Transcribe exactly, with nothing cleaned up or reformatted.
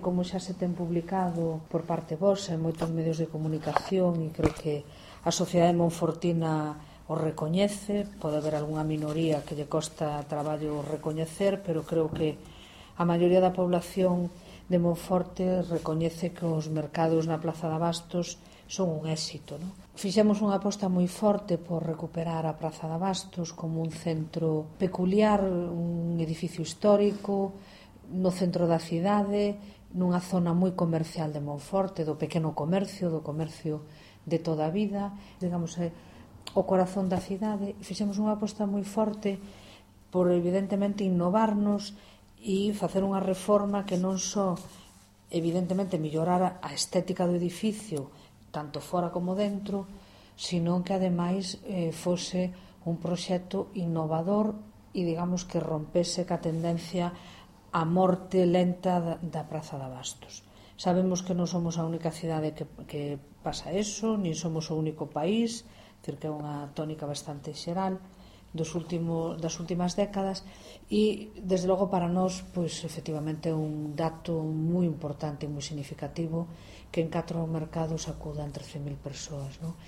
Como xa se ten publicado por parte vosa en moitos medios de comunicación, e creo que a sociedade monfortina o recoñece, pode haber algunha minoría que lle costa traballo recoñecer, pero creo que a maioría da población de Monforte recoñece que os mercados na Praza de Abastos son un éxito, non? Fixemos unha aposta moi forte por recuperar a Praza de Abastos como un centro peculiar, un edificio histórico no centro da cidade, nunha zona moi comercial de Monforte, do pequeno comercio, do comercio de toda a vida, digamos, é o corazón da cidade, e fixemos unha aposta moi forte por, evidentemente, innovarnos e facer unha reforma que non só, evidentemente, mellorara a estética do edificio, tanto fora como dentro, sino que, ademais, eh, fose un proxecto innovador e, digamos, que rompese ca tendencia a morte lenta da, da Praza de Abastos. Sabemos que non somos a única cidade que, que pasa eso, nin somos o único país, decir, que é unha tónica bastante xeral dos último, das últimas décadas, e, desde logo, para nós, pois, efectivamente, é un dato moi importante e moi significativo que en catro mercados acudan trece mil persoas, non?